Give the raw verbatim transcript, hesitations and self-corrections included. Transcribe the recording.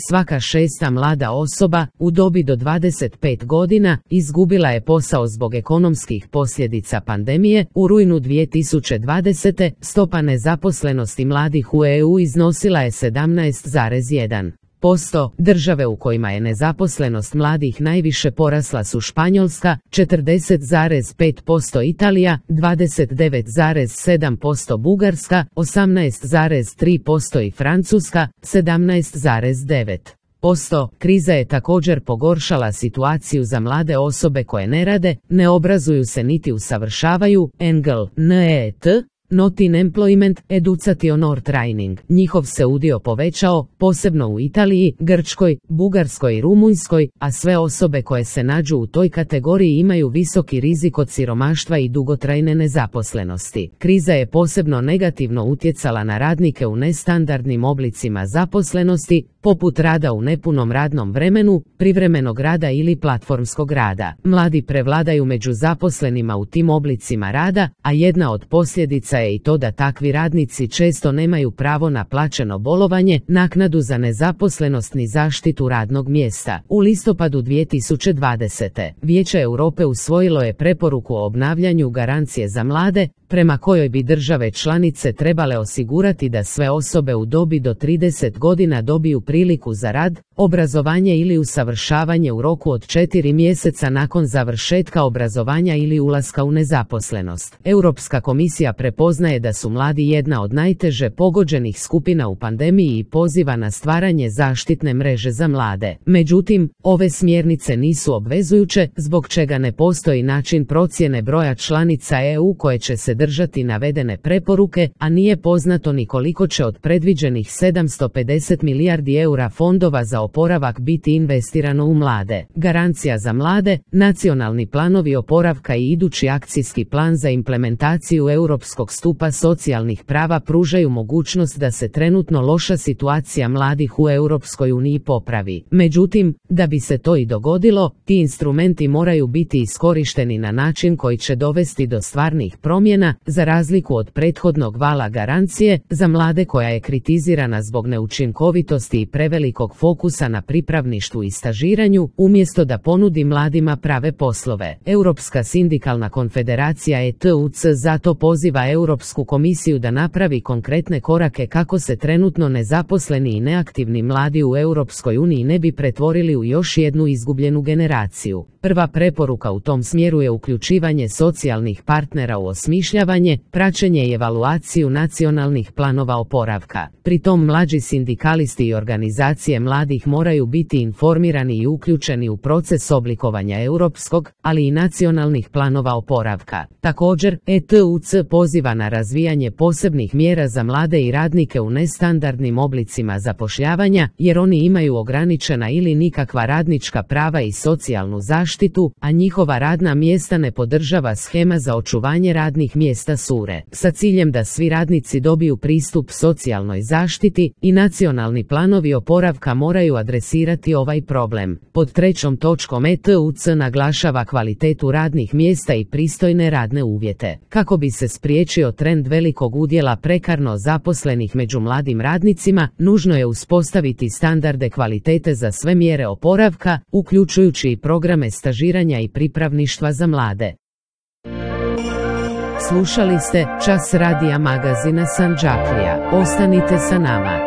Svaka šesta mlada osoba u dobi do dvadeset pet godina izgubila je posao zbog ekonomskih posljedica pandemije. U rujnu dvije tisuće dvadesete. stopa nezaposlenosti mladih u E U iznosila je sedamnaest zarez jedan posto. Države u kojima je nezaposlenost mladih najviše porasla su Španjolska četrdeset zarez pet posto, Italija dvadeset devet zarez sedam posto, Bugarska osamnaest zarez tri posto i Francuska sedamnaest zarez devet posto. Kriza je također pogoršala situaciju za mlade osobe koje ne rade, ne obrazuju se niti usavršavaju. Engel, N E T Not in Employment, Education or Training. Njihov se udio povećao, posebno u Italiji, Grčkoj, Bugarskoj i Rumunjskoj, a sve osobe koje se nađu u toj kategoriji imaju visoki rizik od siromaštva i dugotrajne nezaposlenosti. Kriza je posebno negativno utjecala na radnike u nestandardnim oblicima zaposlenosti, poput rada u nepunom radnom vremenu, privremenog rada ili platformskog rada. Mladi prevladaju među zaposlenima u tim oblicima rada, a jedna od posljedica je i to da takvi radnici često nemaju pravo na plaćeno bolovanje, naknadu za nezaposlenost ni zaštitu radnog mjesta. U listopadu dvije tisuće dvadesete. Vijeće Europe usvojilo je preporuku o obnavljanju garancije za mlade, prema kojoj bi države članice trebale osigurati da sve osobe u dobi do trideset godina dobiju priliku za rad, obrazovanje ili usavršavanje u roku od četiri mjeseca nakon završetka obrazovanja ili ulaska u nezaposlenost. Europska komisija prepoznaje da su mladi jedna od najteže pogođenih skupina u pandemiji i poziva na stvaranje zaštitne mreže za mlade. Međutim, ove smjernice nisu obvezujuće, zbog čega ne postoji način procjene broja članica E U koje će se držati navedene preporuke, a nije poznato ni koliko će od predviđenih sedamsto pedeset milijardi eura fondova za oporavak biti investirano u mlade. Garancija za mlade, nacionalni planovi oporavka i idući akcijski plan za implementaciju europskog stupa socijalnih prava pružaju mogućnost da se trenutno loša situacija mladih u Europskoj uniji popravi. Međutim, da bi se to i dogodilo, ti instrumenti moraju biti iskorišteni na način koji će dovesti do stvarnih promjena, za razliku od prethodnog vala garancije za mlade koja je kritizirana zbog neučinkovitosti i prevelikog fokusa na pripravništvu i stažiranju, umjesto da ponudi mladima prave poslove. Europska sindikalna konfederacija E T U C zato poziva Europsku komisiju da napravi konkretne korake kako se trenutno nezaposleni i neaktivni mladi u Europskoj uniji ne bi pretvorili u još jednu izgubljenu generaciju. Prva preporuka u tom smjeru je uključivanje socijalnih partnera u osmišljavanje, praćenje i evaluaciju nacionalnih planova oporavka. Pri tom mlađi sindikalisti i organizacije mladih moraju biti informirani i uključeni u proces oblikovanja europskog, ali i nacionalnih planova oporavka. Također, E T U C poziva na razvijanje posebnih mjera za mlade i radnike u nestandardnim oblicima zapošljavanja, jer oni imaju ograničena ili nikakva radnička prava i socijalnu zaštitu, a njihova radna mjesta ne podržava shema za očuvanje radnih mjesta sure. Sa ciljem da svi radnici dobiju pristup socijalnoj zaštiti i nacionalni planovi oporavka moraju adresirati ovaj problem. Pod trećom točkom E T U C naglašava kvalitetu radnih mjesta i pristojne radne uvjete. Kako bi se spriječio trend velikog udjela prekarno zaposlenih među mladim radnicima, nužno je uspostaviti standarde kvalitete za sve mjere oporavka, uključujući i programe stažiranja i pripravništva za mlade. Slušali ste Čas radija magazina Sandžaklija. Ostanite sa nama.